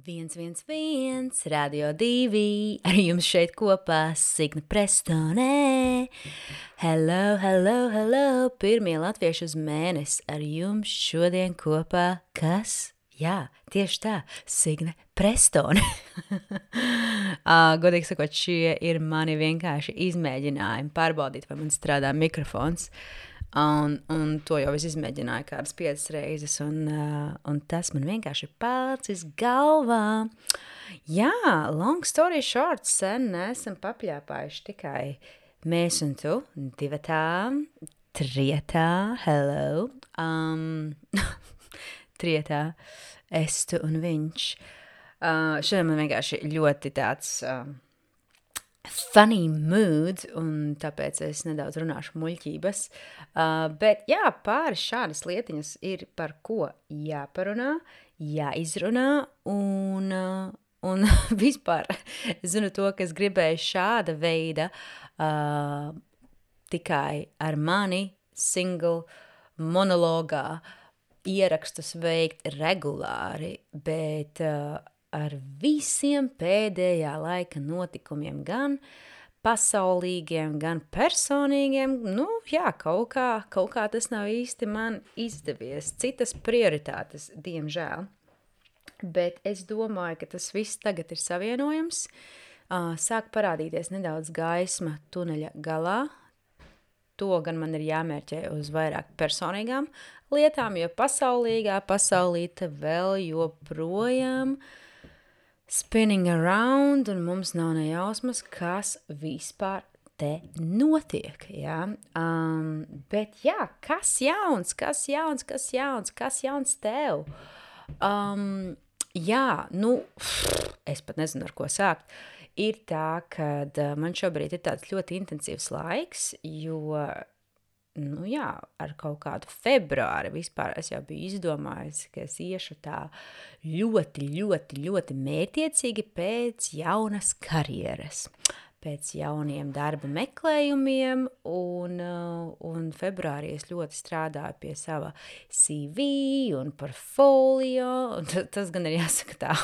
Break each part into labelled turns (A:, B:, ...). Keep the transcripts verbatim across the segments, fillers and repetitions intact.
A: Viens, viens, viens, Radio divi, ar jums šeit kopā Signe Prestonē. Hello, hello, hello, pirmie latvieši uz mēnesi ar jums šodien kopā, kas? Jā, tieši tā, Signe Prestone. uh, godīgi sakot, šie ir mani vienkārši izmēģinājumi pārbaudīt, vai man strādā mikrofons. Un, un to jau es izmēģināju kādas piecas reizes, un, uh, un tas man vienkārši ir palicis galvā. Jā, long story short, sen neesam papļāpājuši tikai mēs un tu, divatā, trietā, hello, um, trietā, es, tu un viņš. Uh, šodien man vienkārši ļoti tāds... Uh, funny mood, un tāpēc es nedaudz runāšu muļķības. Uh, bet jā, pāris šādas lietiņas ir par ko jāparunā, jāizrunā, un, uh, un vispār es zinu to, ka es gribēju šāda veida uh, tikai ar mani single monologā ierakstus veikt regulāri, bet... Uh, ar visiem pēdējā laika notikumiem, gan pasaulīgiem, gan personīgiem, nu jā, kaut kā, kaut kā tas nav īsti man izdevies. Citas prioritātes, diemžēl. Bet es domāju, ka tas viss tagad ir savienojams. Sāk parādīties nedaudz gaisma tuneļa galā. To gan man ir jāmērķē uz vairāk personīgām lietām, jo pasaulīgā pasaulīte vēl joprojām spinning around, un mums nav nejausmas, kas vispār te notiek, jā. Um, bet jā, kas jauns, kas jauns, kas jauns, kas jauns tev? Um, jā, nu, es pat nezinu, ar ko sākt. Ir tā, ka man šobrīd ir tāds ļoti intensīvs laiks, jo... Nu jā, ar kaut kādu februāri vispār es jau biju izdomājusi, ka es iešu tā ļoti, ļoti, ļoti mērķiecīgi pēc jaunas karjeras, pēc jauniem darba meklējumiem, un, un februārī es ļoti strādāju pie sava C V un portfolio, un tas gan ir jāsaka tā,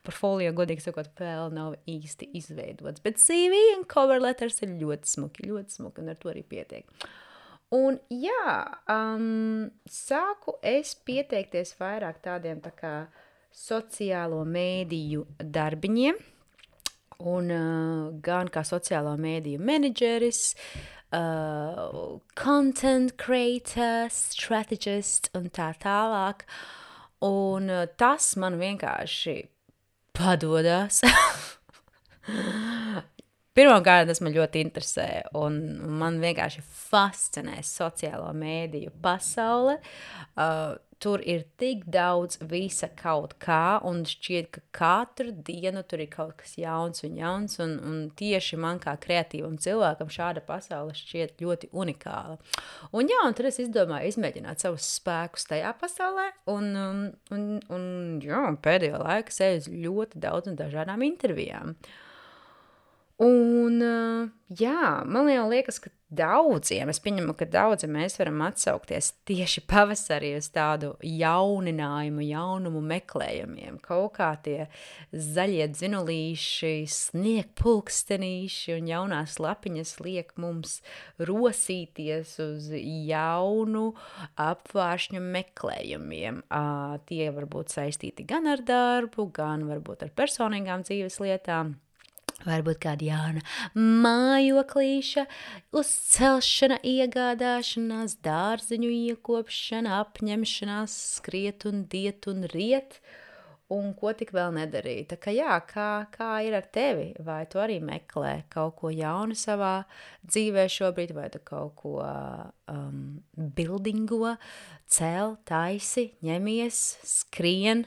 A: portfolio, godīgi sakot, vēl nav īsti izveidots, bet C V un cover letters ir ļoti smuki, ļoti smuki, un ar to arī pietiek. Un jā, um, sāku es pieteikties vairāk tādiem tā kā sociālo mēdīju darbiņiem, un uh, gan kā sociālo mēdīju menedžeris, uh, content creator, strategist un tā tālāk. Un uh, tas man vienkārši padodas. Pirmkārt, tas man ļoti interesē, un man vienkārši fascinē sociālo mēdīju pasaule. Uh, tur ir tik daudz visa kaut kā, un šķiet, ka katru dienu tur ir kaut kas jauns un jauns, un, un tieši man kā kreatīvam cilvēkam šāda pasaule šķiet ļoti unikāla. Un jā, un tad es izdomāju izmēģināt savus spēkus tajā pasaulē, un, un, un, un jā, pēdējo laiku seju ļoti daudz un dažādām intervijām. Un, jā, man jau liekas, ka daudziem, es pieņemu, ka daudzi mēs varam atsaukties tieši pavasarī uz tādu jauninājumu, jaunumu meklējumiem. Kaut kā tie zaļie dzinulīši, sniegpulkstenīši un jaunās lapiņas liek mums rosīties uz jaunu apvāršņu meklējumiem. Uh, tie var būt saistīti gan ar darbu, gan varbūt ar personīgām dzīves lietām. Varbūt kāda jauna mājoklīša, uzcelšana, iegādāšanās, dārziņu iekopšana, apņemšanās, skriet un diet un riet, un ko tik vēl nedarīt. Tā kā jā, kā, kā ir ar tevi? Vai tu arī meklē kaut ko jaunu savā dzīvē šobrīd, vai tu kaut ko um, buildingo, cel, taisi, ņemies, skrien,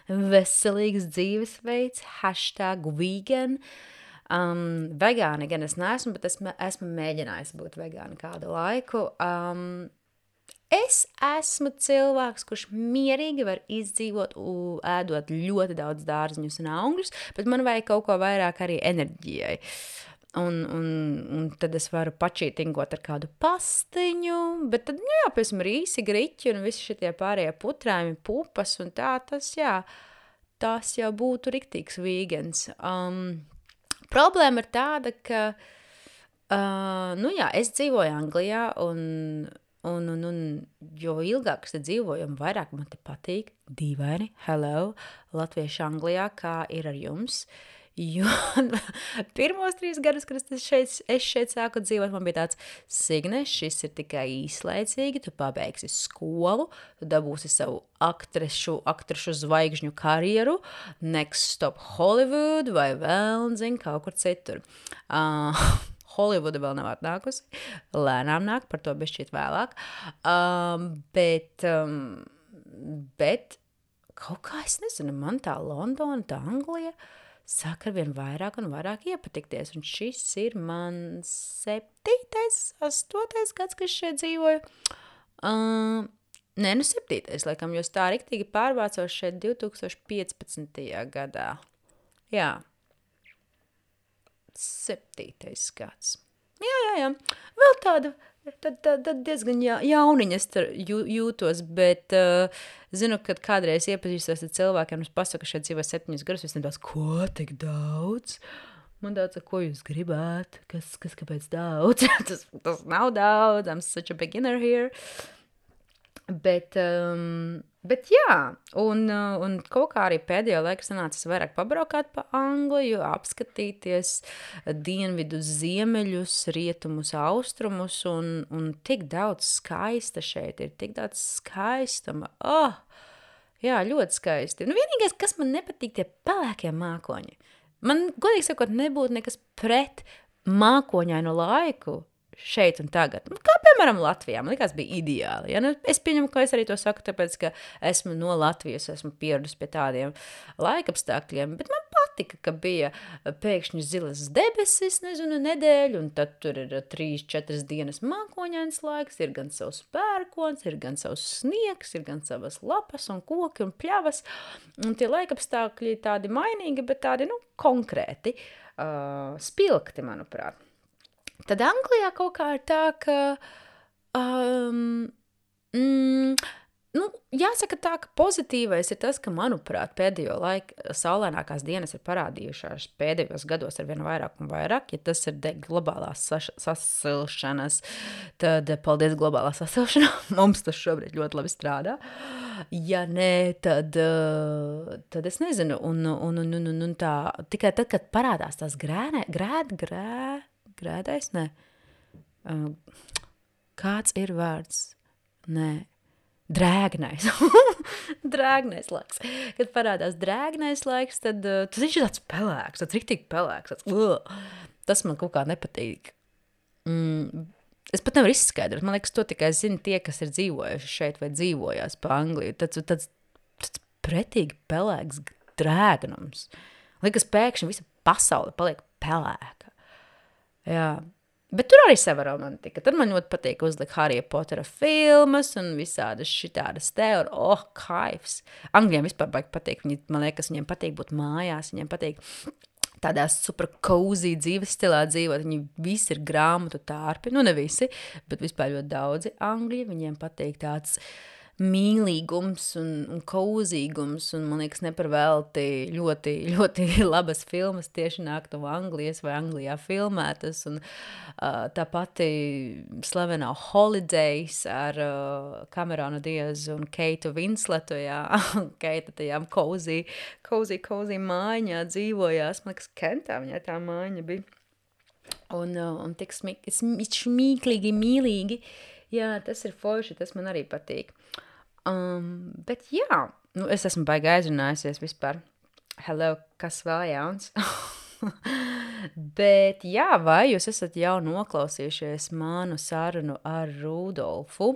A: veselīgs dzīvesveids, hashtag vegan. Um, vegāni gan es neesmu, bet esmu, esmu mēģinājis būt vegāni kādu laiku. Um, es esmu cilvēks, kurš mierīgi var izdzīvot, u, ēdot ļoti daudz dārziņus un augļus, bet man vajag kaut ko vairāk arī enerģijai. Un, un, un tad es varu pačītingot ar kādu pastiņu, bet tad, jā, piemēram, rīsi, griķi un visi šitie pārējie putrājumi, pupas un tā, tas, jā, tas jau būtu riktīgs vīgens. Um, problēma ir tāda, ka, uh, nu jā, es dzīvoju Anglijā, un, un, un, un jo ilgāk es te dzīvoju, un vairāk man te patīk, dīvaini, hello, latvieši Anglijā, kā ir ar jums. Jo pirmos trīs gadus, kad es šeit, es šeit sāku dzīvot, man bija tāds, Signe, šis ir tikai īslaicīgi, tu pabeigsi skolu, tu dabūsi savu aktrešu, aktrešu zvaigžņu karjeru, next stop Hollywood vai vēl, zin, kaut kur citur. Uh, Hollywooda vēl nav atnākusi, lēnām nāk, par to bišķiet vēlāk, um, bet, um, bet kaut kā es nezinu, man tā Londona, tā Anglija, sāk ar vien vairāk un vairāk iepatikties, un šis ir mans septītais, astotais gads, kad šeit dzīvoju. Uh, nē, nu septītais, laikam, jo tā riktīgi pārvācos šeit divtūkstoš piecpadsmitajā gadā. Jā. Septītais gads. Jā, jā, jā. Vēl tāda, tad, tad, tad diezgan ja, jauniņas jū, jūtos, bet uh, zinu, kad kādreiz iepazīstos ar cilvēkiem, es pasaku, ka šeit dzīvo septiņus gadus, es nedaudz, ko tik daudz? Man daudz, ko jūs gribāt? Kas, kas kāpēc daudz? tas, tas nav daudz, I'm such a beginner here. Bet, um, bet jā, un, un kaut kā arī pēdējo laiku sanācis vairāk pabraukāt pa Angliju, apskatīties dienvidu ziemeļus, rietumus, austrumus, un, un tik daudz skaista šeit ir, tik daudz skaistuma. Oh, jā, ļoti skaisti. Nu, vienīgais, kas man nepatīk, tie pelēkie mākoņi. Man, godīgi sakot, nebūtu nekas pret mākoņainu laiku, šeit un tagad. Kā, piemēram, Latvijā. Man likās, bija ideāli. Ja? Nu, es pieņemu, ka es arī to saku, tāpēc, ka esmu no Latvijas, esmu pieradusi pie tādiem laikapstākļiem, bet man patika, ka bija pēkšņi zilas debesis, nezinu, nedēļu, un tad tur ir trīs, četras dienas mākoņains laiks, ir gan savs pērkons, ir gan savs sniegs, ir gan savas lapas un koki un pļavas, un tie laikapstākļi tādi mainīgi, bet tādi, nu, konkrēti, uh, spilgti, manuprāt. Tad Anglijā kaut kā ir tā, ka, um, mm, nu, jāsaka tā, ka pozitīvais ir tas, ka, manuprāt, pēdējo laiku saulainākās dienas ir parādījušās pēdējos gados ar vien vairāk un vairāk. Ja tas ir dēļ globālās sasilšanas, tad paldies globālā sasilšanā. Mums tas šobrīd ļoti labi strādā. Ja nē, tad, tad es nezinu. Un, un, un, un, un tā, tikai tad, kad parādās tās grēnē, grēd, grēd, grēdais, nē. Uh, kāds ir vārds? Nē. Drēgnais. Drēgnais laiks. Kad parādās drēgnais laiks, tad uh, tas viņš ir tāds pelēks, tāds riktīgi pelēks. Tāds, uh, tas man kaut kā nepatīk. Mm, es pat nevaru izskaidrot. Man liekas, to tikai zina tie, kas ir dzīvojuši šeit vai dzīvojās pa Angliju. Tāds, tāds, tāds pretīgi pelēks drēgnums. Liekas, pēkšņi visa pasaule paliek pelēka. Jā, bet tur arī sava romantika. Tad man ļoti patīk uzlikt Harija Potera filmas un visādas šitādas te, un oh, kaifs. Angļiem vispār baigi patīk, viņi, man liekas, viņiem patīk būt mājās, viņiem patīk tādā super cozy dzīves stilā dzīvot, viņi visi ir grāmatu tārpi, nu ne visi, bet vispār ļoti daudzi Angļi, viņiem patīk tāds mīlīgums un, un kauzīgums, un man liekas neparvēlti ļoti, ļoti labas filmas tieši nāk no Anglijas vai Anglijā filmētas, un uh, tā pati slavenā Holidays ar uh, Cameronu Diazu un Keitu Winsletu, jā, Keita tajām cozy, cozy, cozy mājiņā dzīvojās, man liekas, Kentā viņai tā mājiņa bija, un, uh, un tik smik, smīklīgi, mīlīgi, jā, tas ir forši, tas man arī patīk. Um, bet jā, nu, es esmu baigi aizrunājusies vispār. Hello, kas vēl jauns? Bet jā, vai jūs esat jau noklausījušies manu sarunu ar Rudolfu?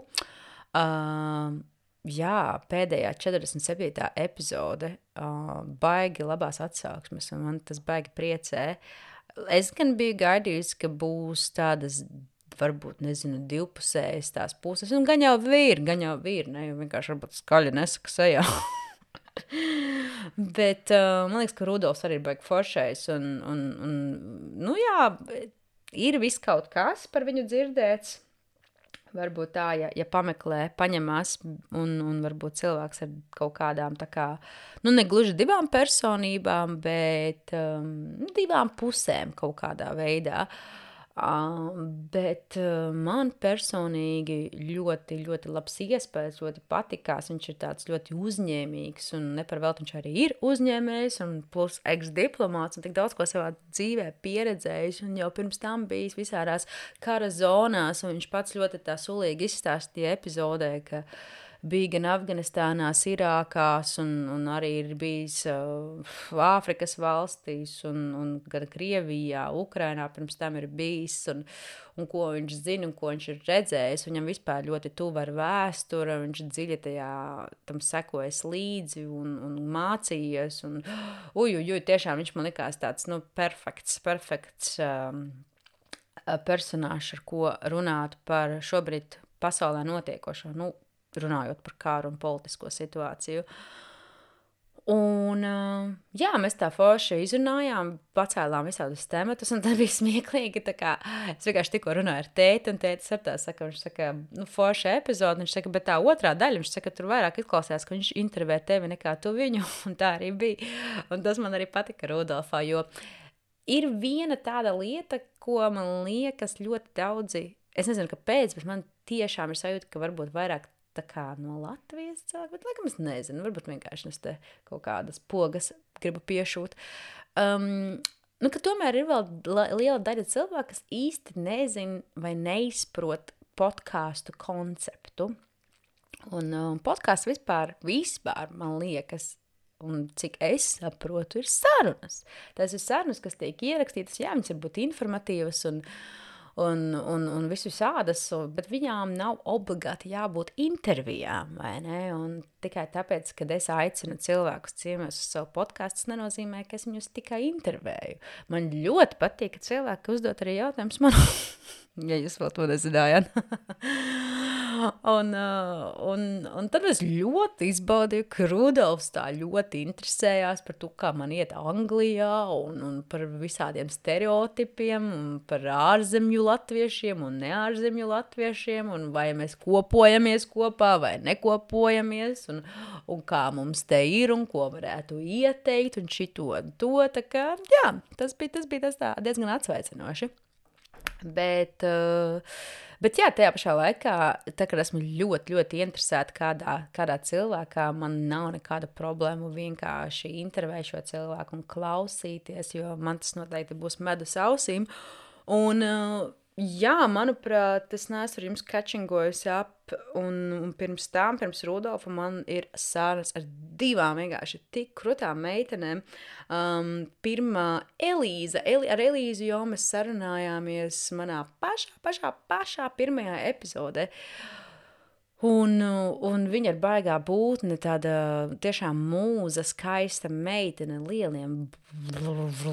A: Um, jā, pēdējā četrdesmit septītā epizode, uh, baigi labās atsauksmes, un man tas baigi priecē. Es gan biju gaidījusi, ka būs tādas varbūt, nezinu, divpusējas tās puses, un gan jau vīri, gan jau vīri, ne, jo vienkārši varbūt skaļi nesaka sejā. Bet uh, man liekas, ka Rudolfs arī ir baigi foršais, un, un, un, nu jā, ir viss kaut kas par viņu dzirdēts, varbūt tā, ja, ja pameklē, paņemās un, un varbūt cilvēks ar kaut kādām tā kā, nu ne gluži divām personībām, bet um, divām pusēm kaut kādā veidā. Uh, bet uh, man personīgi ļoti, ļoti labs iespējas, ļoti patikās. Viņš ir tāds ļoti uzņēmīgs un neparvēlt viņš arī ir uzņēmējs un plus ex-diplomāts un tik daudz ko savā dzīvē pieredzējis un jau pirms tam bijis visādās kara zonās un viņš pats ļoti tā sulīgi izstāstīja epizodē, ka bija gan Afganistānās, Irākās un, un arī ir bijis uh, Āfrikas valstīs un, un gan Krievijā, Ukrainā pirms tam ir bijis un, un ko viņš zina un ko viņš ir redzējis. Viņam vispār ļoti tuva ar vēsture, viņš dziļi tajā tam sekojas līdzi un, un mācījies. Un, uj, uj, uj, tiešām viņš man likās tāds, nu, perfekts, perfekts um, personāžs, ar ko runāt par šobrīd pasaulē notiekošo, nu, runājot par kāru un politisko situāciju. Un, jā, mēs tā forši izrunājām, pacēlām visādus tematus, un tad bija smieklīgi, tā kā, es vienkārši tikko runāju ar tēti, un tētis ar tā saka, viņš saka, nu, forša epizode, viņš saka, bet tā otrā daļa, viņš saka, tur vairāk izklausās, ka viņš intervē tevi nekā tu viņu, un tā arī bija. Un tas man arī patika Rudolfā, jo ir viena tāda lieta, ko man liekas ļoti daudzi, es nezinu, kāpēc, bet man tiešām ir sajūta, ka varbūt vairāk tā kā no Latvijas cilvēku, bet laikam es nezinu, varbūt vienkārši es te kaut kādas pogas gribu piešūt. Um, nu, ka tomēr ir vēl liela daļa cilvēku, kas īsti nezin vai neizprot podcastu konceptu. Un um, podcasts vispār, vispār, man liekas, un cik es saprotu, ir sarunas. Tas ir sarunas, kas tiek ierakstītas, jā, viņas var būt informatīvas un Un, un, un visu sādas, bet viņām nav obligāti jābūt intervijām, vai ne? Un tikai tāpēc, kad es aicinu cilvēkus ciemos uz savu podcastu, tas nenozīmē, ka es viņus tikai intervēju. Man ļoti patīk, ka cilvēki uzdot arī jautājumus man, ja jūs vēl to nezinājāt. un, un, un tad es ļoti izbaudīju, ka Rudolfs tā ļoti interesējās par to, kā man iet Anglijā un, un par visādiem stereotipiem un par ārzemju latviešiem un neārzemju latviešiem un vai mēs kopojamies kopā vai nekopojamies un, un kā mums te ir un ko varētu ieteikt un šito un to, tā kā, jā, tas bija, tas bija tas tā diezgan atsveicinoši. Bet, bet jā, tajā pašā laikā, tā kā esmu ļoti, ļoti interesēta kādā, kādā cilvēkā, man nav nekāda problēma vienkārši intervēt šo cilvēku un klausīties, jo man tas noteikti būs medus ausīm. Un jā, manuprāt, es neesmu ar jums catchingojusi ap, un, un pirms tām, pirms Rudolfa, man ir sarunas ar divām vienkārši tik krutām meitenēm. Um, pirmā Elīza, Eli, ar Elīzu jau mēs sarunājāmies manā pašā, pašā, pašā pirmajā epizodē. Un, un viņa ir baigā būtne, tāda tiešām mūza, skaista meitene, lieliem,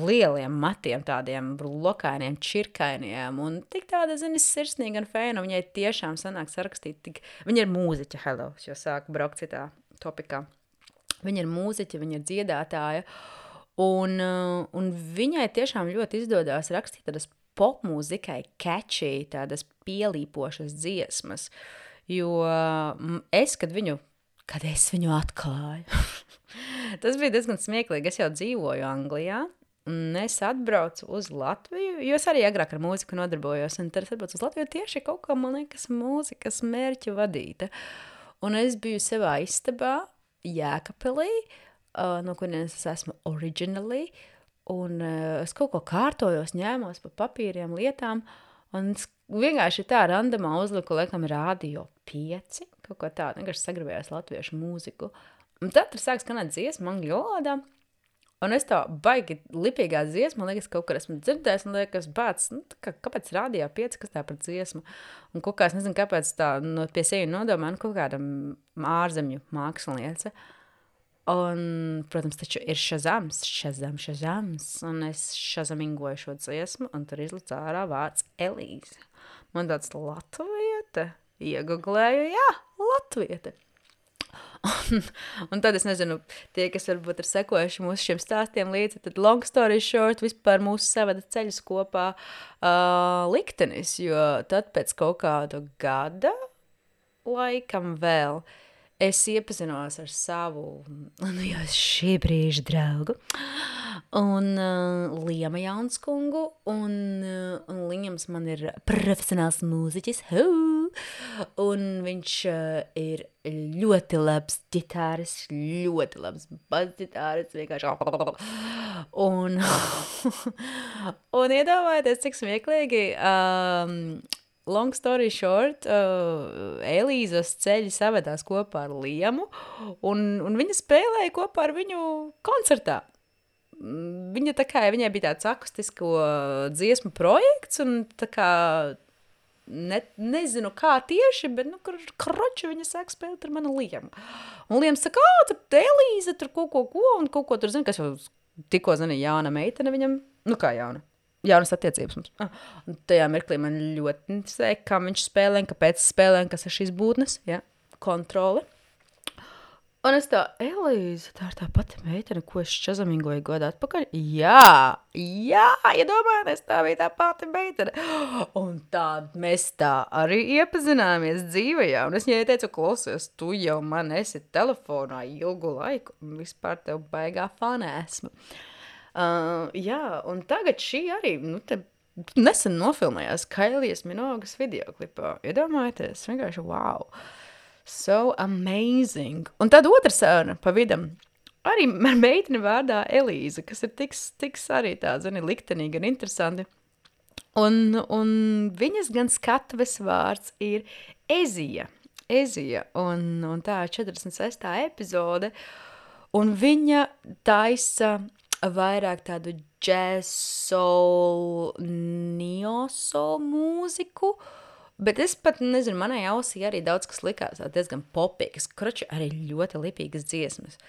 A: lieliem matiem, tādiem lokainiem, čirkainiem, un tik tāda, zini, sirsnīga un feina, viņai tiešām sanāk sarakstīt, tik, viņa ir mūziķa, hello, jo sāku braukt citā topikā. Viņa ir mūziķa, viņa ir dziedātāja, un, un viņai tiešām ļoti izdodās rakstīt tādas popmūzikai catchy, tādas pielīpošas dziesmas. Jo es, kad viņu, kad es viņu atklāju, tas bija diezgan smieklīgi, es jau dzīvoju Anglijā, un es atbraucu uz Latviju, jo es arī agrāk ar mūziku nodarbojos, un tad es atbraucu uz Latviju tieši kaut kā, man liekas, mūzikas mērķa vadīta. Un es biju savā istabā, Jēkabpilī, uh, no kurienes es esmu originally, un uh, es kaut ko kārtojos, ņēmos pa papīriem, lietām, un es vienkārši tā randamā uzliku, laikam, rādio pieci, kaut ko tādu, vienkārši sagribējās latviešu mūziku. Un tad tur sāk skanēt dziesma angļu valodā, un es tā baigi lipīgā dziesma, man liekas, kaut kur esmu dzirdējis, un liekas, bāc, nu, kā, kāpēc rādio pieci, kas tā par dziesmu? Un kaut kā, es nezinu, kāpēc tā no, pie sevi nodomā, nu, kaut kāda ārzemju māksliniece. Un, protams, taču ir šazams, šazam, šazams, un es šazamingoju šo dziesmu, un tur izlicu ārā vārds Elīze. Man tāds latviete, ieguglēju, jā, latviete. Un, un tad es nezinu, tie, kas varbūt ir sekojuši mūsu šiem stāstiem līdzi, tad long story short vispār mūsu savada ceļus kopā uh, liktenis, jo tad pēc kaut kāda gada laikam vēl es iepazinos ar savu, nu jau šī brīža draugu, un uh, Liema Jaunskungu, un, uh, un Liams man ir profesionāls mūziķis, huu, un viņš uh, ir ļoti labs ģitāris, ļoti labs basģitāris, vienkārši, un, un iedomājieties, cik smieklīgi, um, long story short, uh, Elīzas ceļi savedās kopā ar Liemu, un, un viņa spēlēja kopā ar viņu koncertā. Viņa tā kā, viņai bija tāds akustisko dziesmu projekts, un tā kā, ne, nezinu kā tieši, bet, nu, kroči viņa sāk spēlēt ar manu Liemu. Un Liems saka, ā, tur Elīza, tur kaut ko, ko, un kaut ko tur zina, kas jau tikko zina jauna meitene viņam, nu kā jauna. Jaunas attiecības mums. Ah, un tajā mirklī man ļoti interesē, kā viņš spēlē, kāpēc spēlē, kas ir šīs būtnes, ja, kontrole. Un es tā, Elīze, tā ir tā pati meitene, ko es čazamingoju godā atpakaļ. Jā, jā, iedomājies, tā bija tā pati meitene. Un tā mēs tā arī iepazināmies dzīvajā. Un es viņai teicu, klausies, tu jau man esi telefonā ilgu laiku, un vispār tev baigā fana esmu. Uh, jā, un tagad šī arī, nu, te nesen nofilmējās Kailijas Minogas videoklipā. Iedomājieties, vienkārši wow. So amazing. Un tad otra saruna pa vidam. Arī ar meiteni vārdā Elīza, kas ir tik, tik arī tā, zini, liktenīgi un interesanti. Un, un viņas gan skatuves vārds ir Ezija. Ezija. Un, un tā ir četrdesmit sestā epizode. Un viņa taisa vairāk tādu jazz, soul, neo-soul mūziku, bet es pat nezinu, manai ausī arī daudz kas likās diezgan popīgas, kroči arī ļoti lipīgas dziesmas.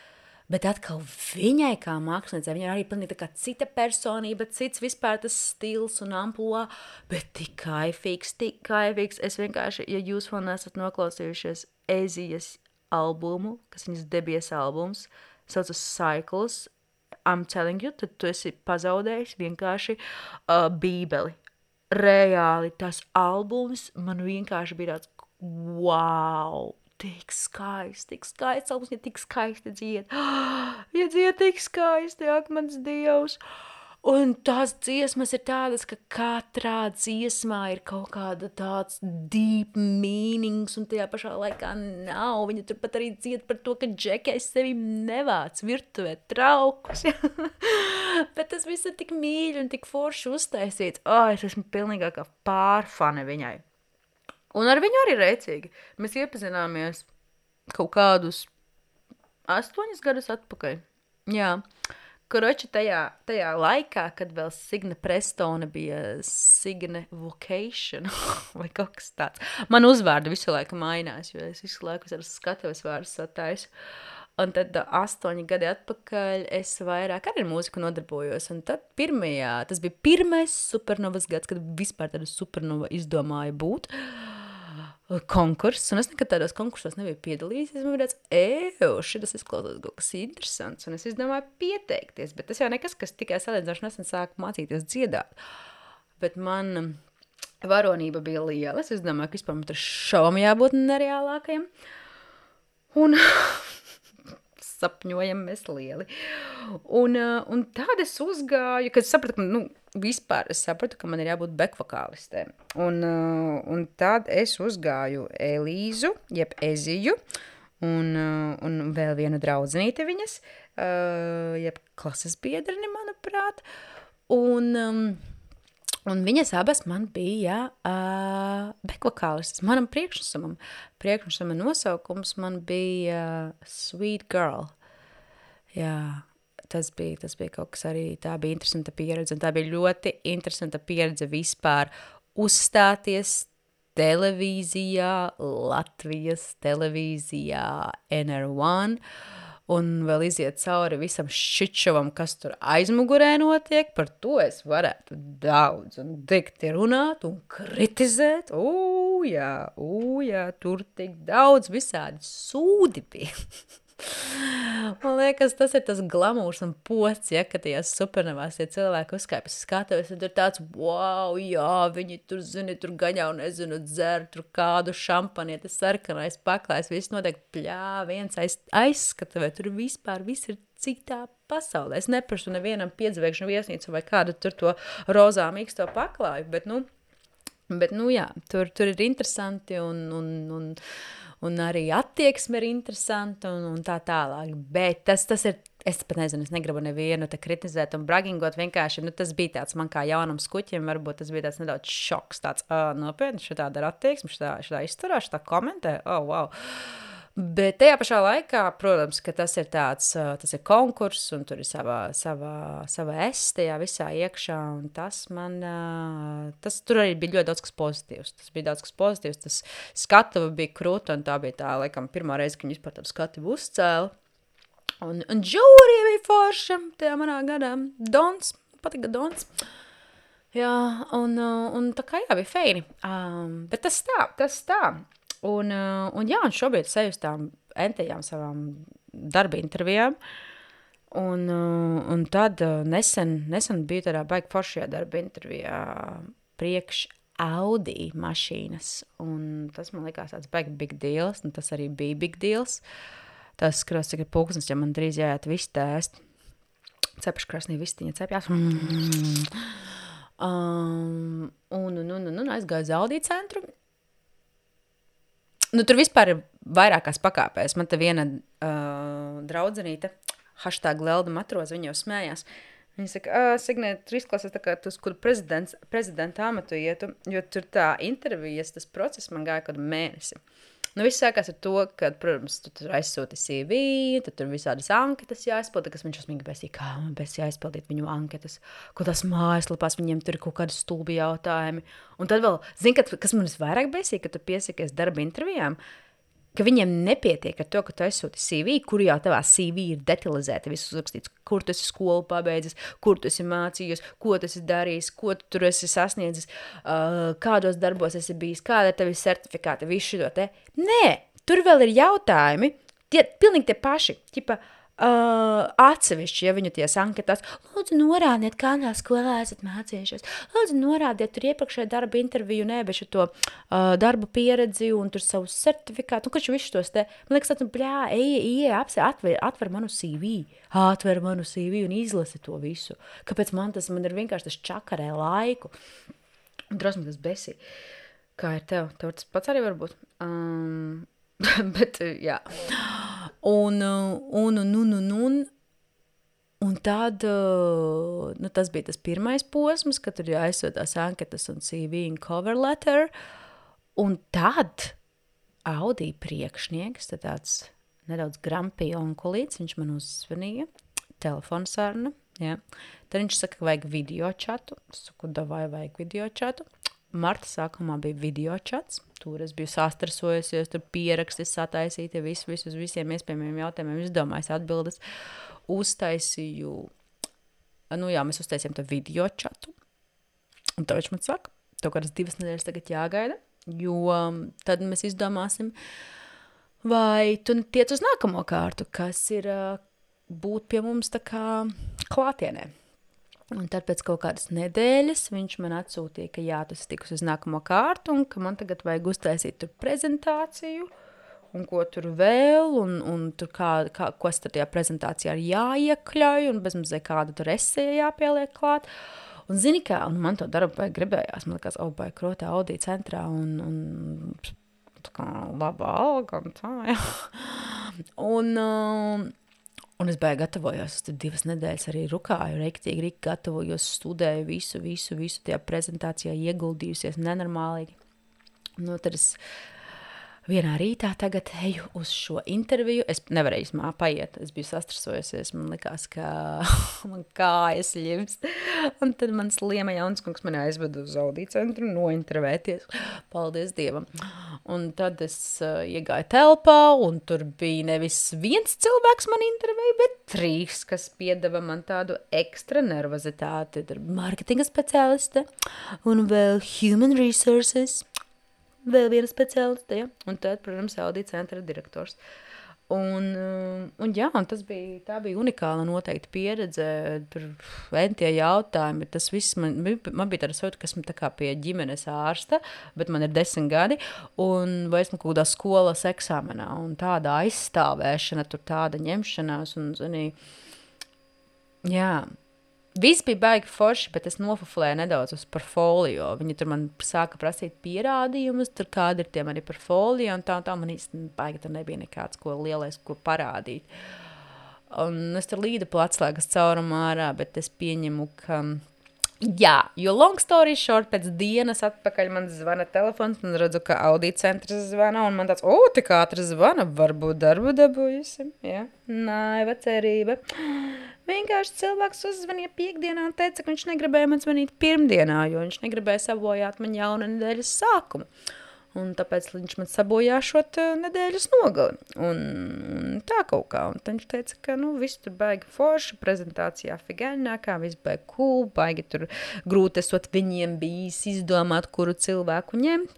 A: Bet atkal viņai kā māksliniecei, viņa arī pilnīgi tā kā cita personība, cits vispār tas stils un amploā, bet tik kaifīgs, tik kaifīgs. Es vienkārši, ja jūs vēl nesat noklausījušies Ezijas albumu, kas viņas debijas albums, saucas Cycles, I'm telling you, tad tu esi pazaudējis vienkārši uh, bībeli. Reāli tas albums man vienkārši bija tāds, wow, tik skaisti, tik skaisti albums, ja tik skaisti dzied. Ja dzied tik skaisti, ak, mans Dievs. Un tās dziesmas ir tādas, ka katrā dziesmā ir kaut kāda tāds deep meanings, un tajā pašā laikā nav. Viņa turpat arī dzied par to, ka Džekais sevi nevāc virtuvē traukus. Bet tas viss ir tik mīļi un tik forši uztaisīts. Oh, es esmu pilnīgākā pārfane viņai. Un ar viņu arī rēcīgi. Mēs iepazināmies kaut kādus astoņus gadus atpakaļ. Jā. Koroči tajā, tajā laikā, kad vēl Signe Prestone bija Signe Vocation vai kaut kas tāds. Man uzvārdi visu laiku mainās, jo es visu laiku ar skatuves vārdus sataisu. Un tad astoņi gadi atpakaļ es vairāk arī ar mūziku nodarbojos. Un tad pirmajā, tas bija pirmais supernovas gads, kad vispār tāda supernova izdomāja būt. Konkurss, un es nekad tādos konkursos nebiju piedalījies, man bija tāds, eju, šitas izklausās kaut kas interesants, un es izdomāju pieteikties, bet tas jau nekas, kas tikai salīdzinoši nesen sāku mācīties dziedāt, bet man varonība bija liela, es domāju, ka vispār man tur šovam jābūt nereālākajam, un sapņojam mēs lieli, un, un tād es uzgāju, kad es sapratu, ka, nu, vispār es sapratu, ka man ir jābūt bekvokālistē. Un, uh, un tad es uzgāju Elīzu, jeb Eziju, un, uh, un vēl vienu draudzenīti viņas, uh, jeb klases biedrini, manuprāt. Un, um, un viņas abas man bija uh, bekvokālistas. Manam priekšnesumam, priekšnesuma nosaukums man bija uh, Sweet Girl. Jā. Tas bija, tas bija kaut kas arī, tā bija interesanta pieredze, un tā bija ļoti interesanta pieredze vispār uzstāties televīzijā, Latvijas televīzijā N R one, un vēl iziet cauri visam šičovam, kas tur aizmugurē notiek, par to es varētu daudz un dikti runāt un kritizēt. Ū, jā, ū, jā, tur tik daudz visādi sūdi bija. Man liekas, tas ir tas glamūrs un pots, ja, ka tajās supernovās tie cilvēki uzkāpjas skatuves, un tur tāds, wow, jā, viņi tur, zini, tur gaņā un nezinu, dzer, tur kādu šampanieti, sarkanais paklājs, viss notiek pļā, viens aiz, aizskatuvē, tur vispār viss ir citā pasaulē. Es neprasu nevienam piedzvēkšanu viesnīcu vai kādu tur to rozā mīksto paklāju, bet, nu, bet, nu, jā, tur, tur ir interesanti un, un, un un arī attieksme ir interesanta un, un tā tālāk, bet tas, tas ir, es pat nezinu, es negribu nevienu te kritizēt un bragingot, vienkārši, nu tas bija tāds man kā jaunam skuķim, varbūt tas bija tāds nedaudz šoks, tāds, ā, nopietni, šitā dar attieksme, šitā, šitā izturā, šitā komentē, oh, wow. Bet tajā pašā laikā, protams, ka tas ir tāds, tas ir konkurss, un tur ir sava, sava, sava es tajā visā iekšā, un tas man, tas tur arī bija ļoti daudz kas pozitīvs. Tas bija daudz kas pozitīvs, tas skatuva bija krūta, un tā bija tā, laikam, pirmā reize, ka viņi vispār tādu skatuvu uzcēla. Un, un žūrija bija forša tajā manā gadā. Dons, patika Dons. Jā, un, un tā kā jā, bija feini. Um, bet tas tā, tas tā. Un, un jā, un šobrīd seju uz tām entajām savām darba intervijām, un, un tad nesen, nesen biju tādā baigi foršajā darba intervijā priekš Audi mašīnas, un tas man likās tāds baigi big deals, un tas arī bija big deals. Tas skros, cik ir pulksnes, ja man drīz jāiet visu tēst. Cepeškrasnī vistiņa cepjās. Mm. Um, un, un, un, un aizgāju uz Audi centru. Nu, tur vispār ir vairākās pakāpēs. Man te viena uh, draudzenīte, hashtag Lelda Matroza, viņa jau smējās. Viņa saka, Signē, tur izklausās tā kā tu, kur prezidents, prezidenta amatu ietu, jo tur tā intervijas, tas process man gāja kādu mēnesi. Nu, viss sākās ar to, ka, protams, tu tur aizsūti C V, tad tur visādas anketas jāizpilda, kas viņš uzmīgi besīja, kā man bez jāizpildīt viņu anketas, ko tās mājaslapās, viņiem tur ir kaut kādi stulbi jautājumi. Un tad vēl, zini, kas man visvairāk besīja, ka tu piesakies darba intervijām, ka viņiem nepietiek ar to, ka tu aizsūti C V, kur jau tavā C V ir detalizēti, viss uzrakstīts, kur tu esi skolu pabeidzis, kur tu esi mācījies, ko tu esi darījis, ko tu tur esi sasniedzis, uh, kādos darbos esi bijis, kāda ir tevi certifikāti, visu šito te. Nē, tur vēl ir jautājumi, tie pilnīgi tie paši, ķipa, Uh, atsevišķi, ja viņu ties anketās, lūdzu norādiet, kādā skolā esat mācījušies, lūdzu norādiet tur iepriekšēju darba interviju, nebešu to uh, darba pieredzi un tur savus certifikātu, un kaču visu tos te, man liekas, tāds, bļā, eja, eja, atver, atver manu C V, atver manu C V un izlasi to visu. Kāpēc man tas, man ir vienkārši tas čakarē laiku. Un drosmi tas besī. Kā ir tev? Tev tas pats arī varbūt? Um, bet, jā. Un, un, un, un, un, un, un tad, nu, tas bija tas pirmais posms, kad tur jāizsūtās anketas un C V un cover letter, un tad Audi priekšnieks, tad tāds nedaudz grampī onkulīts, viņš man uzzvanīja, telefonsaruna, jā. Tad viņš saka, ka vajag video čatu, es saku, davai vajag video čatu. Marta sākumā bija video čats, tur es biju sastresojusies, tur pierakstis sataisīti, visu, visu uz visiem iespējamiem jautājumiem, izdomājis atbildes, uztaisīju, nu jā, mēs uztaisījām to video čatu, un tad viņš man saka, tev kādas divas nedēļas tagad jāgaida, jo tad mēs izdomāsim, vai tu tiec uz nākamo kārtu, kas ir būt pie mums tā kā klātienē. Un tad pēc kaut kādas nedēļas viņš man atsūtīja, ka jā, tas tikus uz nākamo kārtu un ka man tagad vajag uztaisīt tur prezentāciju un ko tur vēl un, un tur kā, kā, ko es tajā prezentācijā ir jāiekļauj un bezmazē kādu tur esēja jāpieliek klāt. Un zini kā, un man to darbu vajag gribējās, man likās, oh, vai krotā Audi centrā un, un tā kā laba alga un tā, jā. Un... Um, Un es bēju gatavojos, es tur divas nedēļas arī rukāju, reiktīgi, rīk gatavojos, studēju visu, visu, visu tajā prezentācijā ieguldījusies nenormālīgi. Nu, tad es vienā rītā tagad eju uz šo interviju. Es nevarēju īstumā paiet, es biju sastrasojusies, man likās, ka man kājas ļims. Un tad mans liema jaunskungs mani aizveda uz audiju centru nointervēties. Paldies Dievam. Un tad es uh, iegāju telpā, un tur bija nevis viens cilvēks man intervēja, bet trīs, kas piedeva man tādu ekstra nervozitāti. Tur marketinga speciāliste un vēl human resources. Vēl viena speciāliste, ja? Un tad, protams, audija centra direktors. Un, un jā, un tas bija, tā bija unikāla noteikti pieredze, tur ventie jautājumi, tas viss, man, man bija tāda sajūta, ka esmu tā kā pie ģimenes ārsta, bet man ir desmit gadi, un vai esmu kaut kādā skolas eksāmenā, un tāda aizstāvēšana, tur tāda ņemšanās, un, zinī, jā, viss bija baigi forši, bet es nofuflēju nedaudz uz portfolio. Viņi tur man sāka prasīt pierādījumus, tur kādi ir tie mani portfolio, un tā, un tā man īsti baigi tur nebija nekāds, ko lielais, ko parādīt. Un es tur līdu pa atslēgas caurumu ārā, bet es pieņemu, ka... Jā, jo long story short, pēc dienas atpakaļ man zvana telefons, un redzu, ka audija centrs zvana, un man tāds, o, tik ātri zvana, varbūt darbu dabūjusim, jā, naiva cerība. Vienkārši cilvēks uzzvanīja piekdienā un teica, ka viņš negribēja man zvanīt pirmdienā, jo viņš negribēja sabojāt man jauna nedēļas sākumu. Un tāpēc viņš man sabojā šot nedēļas nogali. Un, un tā kaut kā. Un tad viņš teica, ka nu, viss tur baigi forši, prezentācijā figaļnākā, viss baigi cool, baigi tur grūti esot viņiem bijis izdomāt, kuru cilvēku ņemt.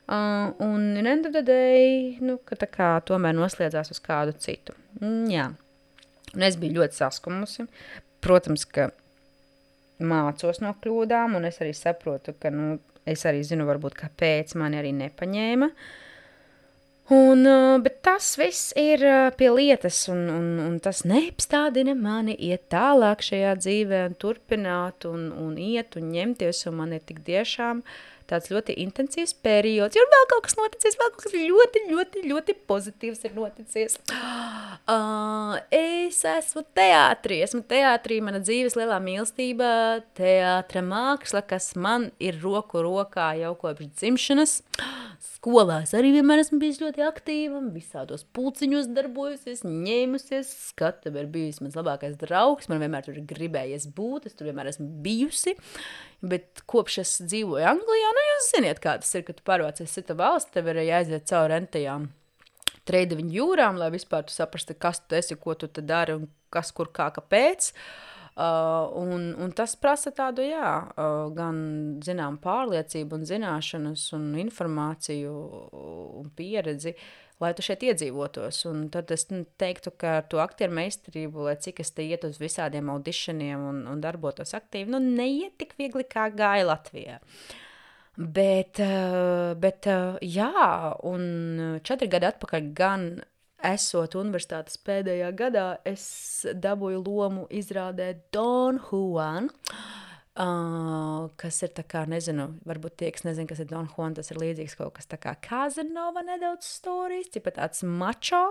A: Uh, un in end of the day, nu, ka tā kā tomēr noslēdzās uz kādu citu. Mm, jā. Un es biju ļoti saskumusi. Protams, ka mācos no kļūdām, un es arī saprotu, ka, nu, es arī zinu, varbūt, kāpēc mani arī nepaņēma. Un, bet tas viss ir pie lietas, un, un, un tas neapstādina mani iet tālāk šajā dzīvē un turpināt un, un iet un ņemties, un man ir tik tiešām tāds ļoti intensīvs periods. Ir vēl kaut kas noticies, vēl kaut kas ļoti, ļoti, ļoti pozitīvs ir noticies. Uh, es esmu teātrī, esmu teātrī, mana dzīves lielā mīlestība, teātra māksla, kas man ir roku rokā jau kopš dzimšanas. Skolās arī vienmēr esmu bijis ļoti aktīva, visādos pulciņos darbojusies, ņēmusies, skatu ir bijis mans labākais draugs, man vienmēr tur ir gribējies būt, es tur vienmēr esmu bijusi, bet kopš es dzīvoju Anglijā, nu jūs ziniet, kā tas ir, kad tu pārvācies cita valsts, tev ir jāiziet cauri rentajām treideviņu jūrām, lai vispār tu saprastu, kas tu esi, ko tu te dari un kas, kur, kā, kāpēc. Uh, un, un tas prasa tādu, jā, uh, gan, zinām, pārliecību un zināšanas un informāciju un pieredzi, lai tu šeit iedzīvotos. Un tad es teiktu, ka ar to aktieru meistarību, lai cik es te iet uz visādiem auditioniem un, un darbotos aktīvi, nu, neiet tik viegli, kā gāja Latvijā. Bet, uh, bet uh, jā, un četri gadi atpakaļ gan esot universitātes pēdējā gadā, es dabūju lomu izrādē Don Juan, uh, kas ir tā kā, nezinu, varbūt tie, kas nezinu, kas ir Don Juan, tas ir līdzīgs kaut kas tā kā Casanova nedaudz storijas, tipa tāds mačo,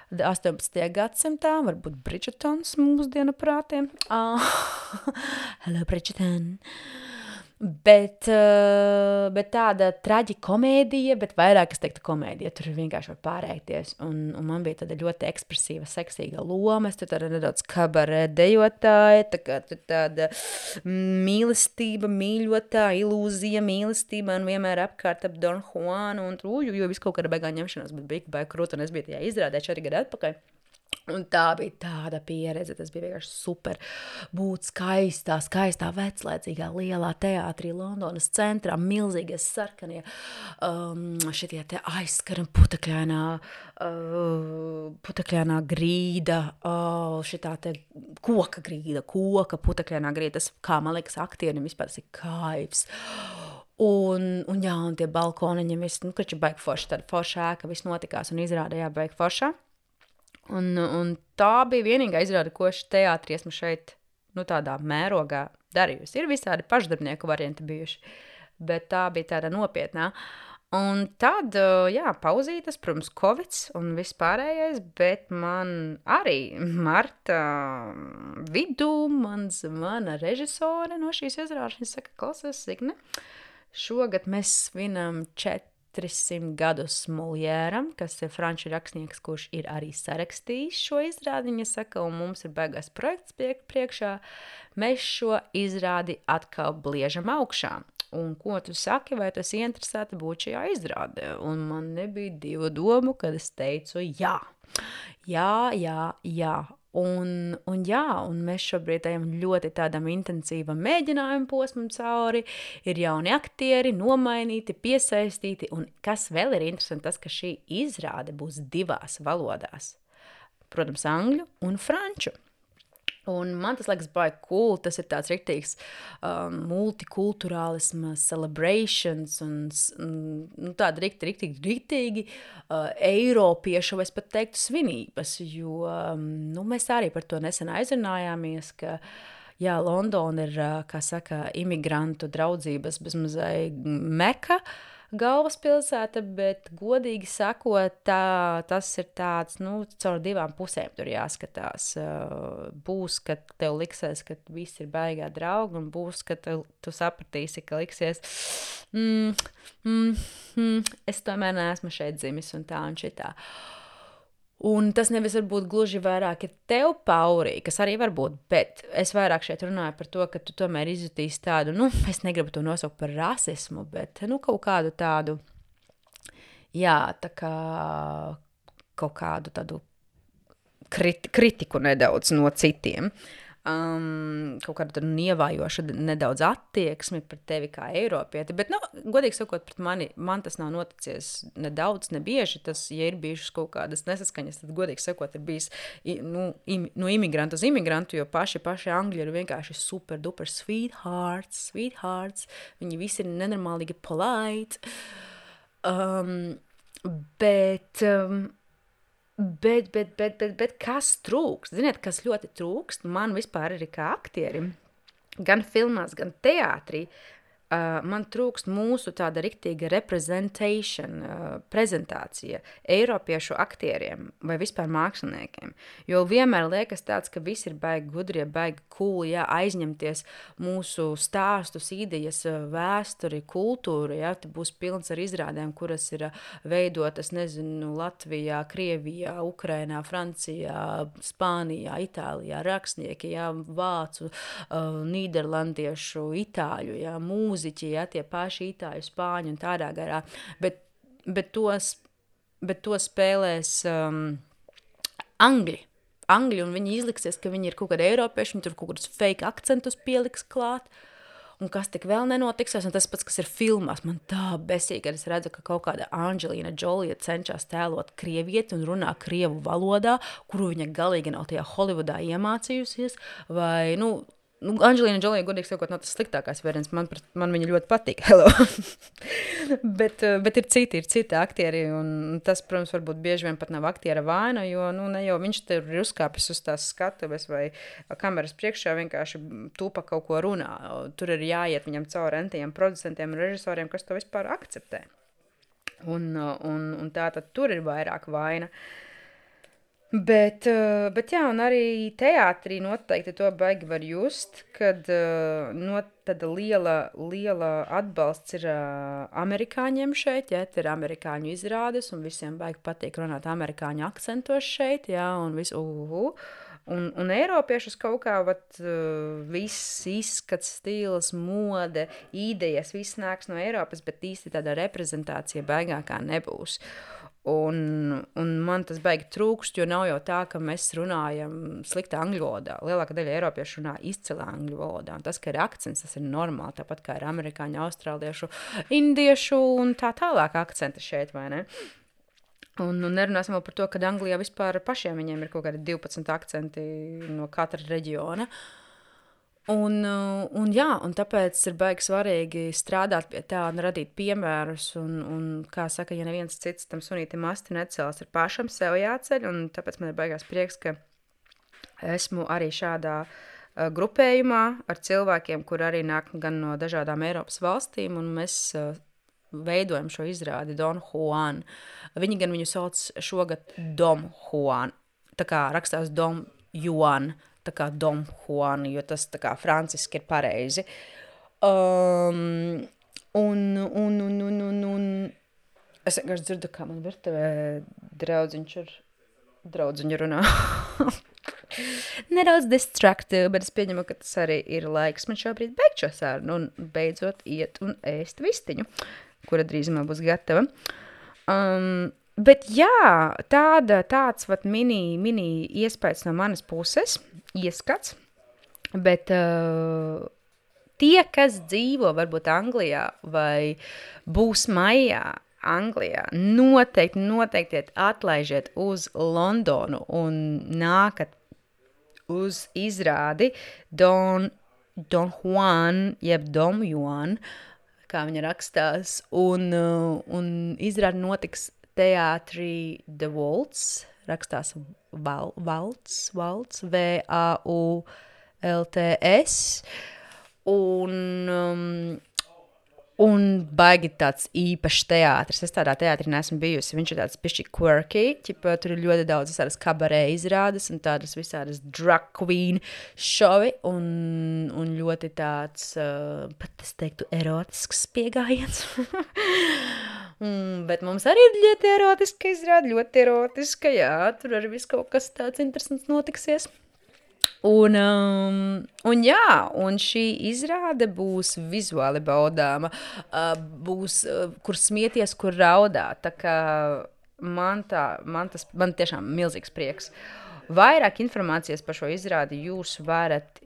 A: astoņpadsmitajā gadsimtā, varbūt Bridgertons mūsdienu prātiem. Uh, hello, Bridgerton! Bet, uh, bet tāda traģikomēdija, bet vairāk es teiktu komēdija, tur vienkārši var pārēties, un, un man bija tāda ļoti ekspresīva, seksīga loma, es tur tāda nedaudz kabarē dejotāja, tā kā tur tāda mīlestība, mīļotāja, ilūzija, mīlestība, un vienmēr apkārt ap Don Juanu, un tur, jo viss kaut kāda beigā ņemšanās, bet bija baigi krūta, un es biju tajā izrādē četri gadi atpakaļ. Un tā bija tāda pieredze, tas bija vienkārši super būt skaistā, skaistā, veclaicīgā, lielā teātrī Londonas centrā, milzīgie sarkanie, um, šitie te aizskari un putekļainā, uh, putekļainā grīda, uh, šitā te koka grīda, koka putekļainā grīda, tas, kā man liekas, aktierim vispār tas ir kaivs. Un, un jā, un tie balkoniņi, viss, nu, kači baigi forši, tāda forša ēka, viss notikās un izrādījā baigi foršā. Un, un tā bija vienīgā izrāde, ko es teātrī esmu šeit, nu, tādā mērogā darījusi. Ir visādi pašdarbnieku varianti bijuši, bet tā bija tāda nopietnā. Un tad, jā, pauzītas, protams, Covids un viss pārējais, bet man arī marta vidū man zvana režisore no šīs izrādes, viņa saka, klausies, Signe, šogad mēs svinam četri četrsimt gadus Moljēram, kas ir franču rakstnieks, kurš ir arī sarakstījis šo izrādi, viņa saka, un mums ir beigās projekts priekšā, mēs šo izrādi atkal bliežam augšā. Un ko tu saki, vai tu esi interesēta būt šajā izrādē? Un man nebija divu domu, kad es teicu jā. Jā, jā, jā. Un, un jā, un mēs šobrīd ejam ļoti tādam intensīvam mēģinājumu posmam cauri, ir jauni aktieri, nomainīti, piesaistīti, un kas vēl ir interesanti, tas, ka šī izrāde būs divās valodās. Protams, angļu un franču. Un man tas liekas baigi cool, tas ir tāds riktīgs um, multikulturālisma celebrations un nu, tāda riktīgi, riktīgi, riktīgi uh, eiropiešu, vai es pat teiktu, svinības, jo um, nu, mēs arī par to nesen aizrunājāmies, ka jā, Londona ir, kā saka, imigrantu draudzības bezmazai meka, galvaspilsēta, bet godīgi sakot, tā, tas ir tāds, nu, caur divām pusēm tur jāskatās. Būs, kad tev liksies, ka viss ir baigā draugi, un būs, ka tu, tu sapratīsi, ka liksies, mm, mm, mm, es tomēr neesmu šeit dzimis un tā un šitā. Un tas nevis varbūt gluži vairāk ir tev paurī, kas arī var būt, bet es vairāk šeit runāju par to, ka tu tomēr izjutīsi tādu, nu, es negribu to nosaukt par rasismu, bet, nu, kaut kādu tādu, jā, tā kā kaut kādu tādu kriti, kritiku nedaudz no citiem. Um, kaut kādu tādu nievājošu nedaudz attieksmi pret tevi kā eiropieti, bet, nu, godīgi sakot, pret mani, man tas nav noticies nedaudz, ne bieži, tas, ja ir bijušas kaut kādas nesaskaņas, tad, godīgi sakot, ir bijis, nu, im, no imigrantu uz imigrantu, jo paši, paši angļi ir vienkārši super duper sweethearts, sweethearts, viņi visi ir nenormālīgi polite, um, bet... Um, Bet, bet, bet, bet, bet kas trūkst? Ziniet, kas ļoti trūkst? Man vispār arī kā aktierim, gan filmās, gan teātrī, uh, man trūkst mūsu tāda riktīga representation, uh, prezentācija eiropiešu aktieriem vai vispār māksliniekiem. Jo vienmēr liekas tāds, ka visi ir baigi gudrie, baigi cool, jā, aizņemties mūsu stāstus, idejas, vēsturi, kultūru, jā, te būs pilns ar izrādēm, kuras ir veidotas, nezinu, Latvijā, Krievijā, Ukrainā, Francijā, Spānijā, Itālijā, rakstnieki, jā, vācu, uh, nīderlandiešu, itāļu, jā, mūziķi, jā, tie paši itāļu, spāņu un tādā garā, bet, bet, tos, bet to spēlēs um, angļi. Angļi, un viņi izliksies, ka viņi ir kaut kādi eiropieši, viņi tur kaut kādus fake akcentus pieliks klāt, un kas tik vēl nenotiksies, un tas pats, kas ir filmās, man tā besīgi, kad es redzu, ka kaut kāda Angelina Jolie cenšas tēlot krievieti un runā krievu valodā, kuru viņa galīgi nav tajā Holivudā iemācījusies, vai, nu, Nu, Angelina Jolie, godīgi sakot, nav tas sliktākais variants. Man, man viņa ļoti patīk. Hello. bet, bet ir citi, ir citi aktieri, un tas, protams, varbūt bieži vien pat nav aktiera vaina, jo, nu, ne jau viņš te ir uzkāpis uz tās skatuves vai kameras priekšā vienkārši tūpa kaut ko runā. Tur ir jāiet viņam cauri entiem producentiem un režisoriem, kas to vispār akceptē. Un, un, un tā tad tur ir vairāk vaina. Bet, bet jā, un arī teātrī noteikti to baigi var just, kad no, tad liela, liela atbalsts ir amerikāņiem šeit, jā, te ir amerikāņu izrādes, un visiem baigi patīk runāt amerikāņu akcentos šeit, jā, un visu, uhu. Un, un eiropiešus kaut kā, vat, viss izskats, stils, mode, idejas, viss nāks no Eiropas, bet īsti tāda reprezentācija baigākā nebūs. Un, un man tas baigi trūkst, jo nav jau tā, ka mēs runājam sliktā angļu valodā. Lielākā daļa eiropiešu runā izcilā angļu valodā. Un tas, ka ir akcents, tas ir normāli, tāpat kā ir amerikāņu, austrāliešu, indiešu un tā tālāk akcenti šeit, vai ne? Un, un nerunāsim vēl par to, ka Anglijā vispār pašiem viņiem ir kaut kādi divpadsmit akcenti no katra reģiona. Un, un jā, un tāpēc ir baigi svarīgi strādāt pie tā un radīt piemērus, un, un kā saka, ja neviens cits tam sunītim asti necels, ir pašam sev jāceļ, un tāpēc man ir baigās prieks, ka esmu arī šādā uh, grupējumā ar cilvēkiem, kur arī nāk gan no dažādām Eiropas valstīm, un mēs uh, veidojam šo izrādi Don Juan. Viņi gan viņu sauc šogad Dom Juan, tā kā rakstās Dom Juan, tā kā Dom Juan, jo tas tā kā franciski ir pareizi. Um, un, un, un, un, un, un, Es vienkārši dzirdu, kā man virtuvē draudziņš ar draudziņu runā. Nedaudz distractive, bet es pieņemu, ka tas arī ir laiks man šobrīd beigt šo sarunu un beidzot iet un ēst vistiņu, kura drīzumā būs gatava. Um, bet jā, tāda, tāds vat mini, mini iespējas no manas puses, ieskats, bet uh, tie, kas dzīvo varbūt Anglijā vai būs maijā Anglijā, noteikti, noteikti atlaižiet uz Londonu un nākat uz izrādi Don, Don Juan, jeb Dom Juan, kā viņa rakstās, un, un izrādi notiks teātrī The Waltz, rakstās val, Valts, Valts, V A U L T S, un... Um, Un baigi tāds īpašs teātris. Es tādā teātrī neesmu bijusi. Viņš ir tāds pišķi quirky. Ķipa, tur ir ļoti daudz visādas kabarē izrādes un tādas visādas drag queen šovi. Un, un ļoti tāds, uh, pat es teiktu, erotisks piegājiens. mm, bet mums arī ir ļoti erotiska izrāde. Ļoti erotiska, jā. Tur arī viss kaut kas tāds interesants notiksies. Un, um, un jā, un šī izrāde būs vizuāli baudāma, uh, būs, uh, kur smieties, kur raudāt, tā kā man, tā, man tas, man tiešām milzīgs prieks. Vairāk informācijas par šo izrādi jūs varat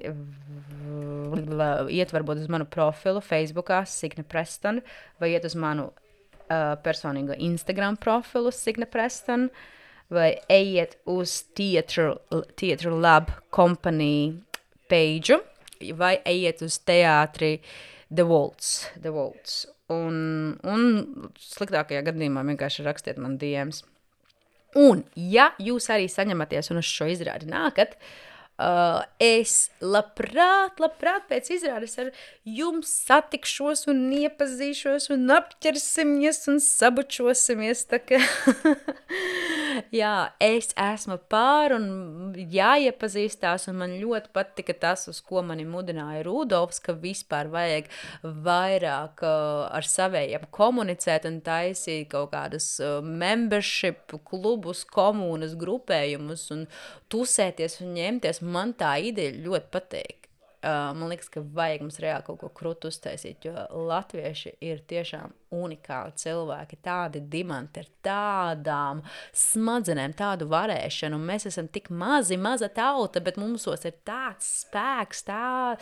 A: iet varbūt uz manu profilu Facebookā Signe Preston, vai iet uz manu uh, personīgo Instagram profilu Signe Preston, vai ejiet uz Theatre, Theatre Lab Company page, vai ejiet uz teātri The Waltz, The Waltz. Un, un sliktākajā gadījumā vienkārši rakstiet man D Ms. Un, ja jūs arī saņematies un uz šo izrādi nākat, uh, es labprāt, labprāt pēc izrādes ar jums satikšos un iepazīšos un apķersimies un sabučosimies, tā kā... Jā, es esmu pār un jāiepazīstās, un man ļoti patika tas, uz ko mani mudināja Rudolfs, ka vispār vajag vairāk uh, ar savējiem komunicēt un taisīt kaut kādas uh, membership klubus, komunas, grupējumus un tusēties un ņemties. Man tā ideja ļoti patīk. Uh, man liekas, ka vajag mums reāli kaut ko krutu uztaisīt, jo latvieši ir tiešām unikāli cilvēki, tādi dimanti ar tādām smadzenēm, tādu varēšanu, un mēs esam tik mazi, maza tauta, bet mūsos ir tāds spēks, tā,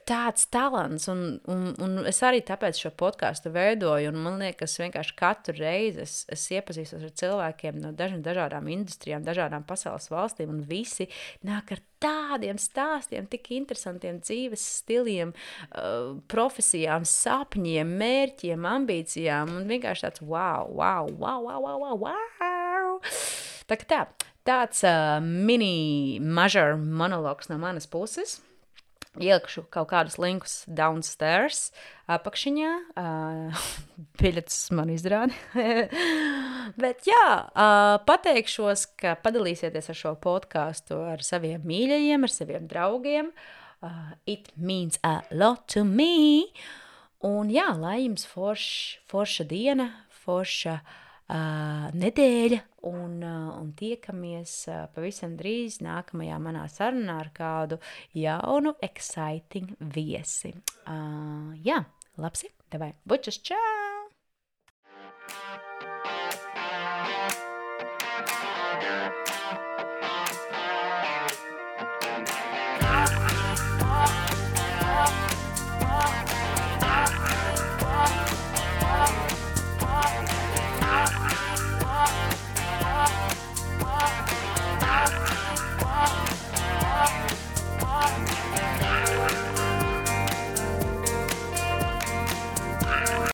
A: tāds talants, un, un, un es arī tāpēc šo podcastu veidoju, un man liekas, vienkārši katru reizi es, es iepazīstos ar cilvēkiem no dažām dažādām industrijām, dažādām pasaules valstīm, un visi nāk ar tādiem stāstiem, tik interesantiem dzīves stiliem, uh, profesijām, sapņiem, mērķiem, ambīcijām, un vienkārši tāds wow, wow, wow, wow, wow, wow, wow. Tā kā tā, tāds uh, mini major monologs no manas puses. Ielikšu kaut kādus linkus downstairs, apakšiņā, uh, biļetes man izrādi. Bet jā, uh, pateikšos, ka padalīsieties ar šo podcastu ar saviem mīļajiem, ar saviem draugiem. Uh, it means a lot to me. Un jā, lai jums forš, forša diena, forša uh, nedēļa, un, uh, un tiekamies uh, pavisam drīz nākamajā manā sarunā ar kādu jaunu, exciting viesi. Uh, jā, labsi, davai, bučas, čau!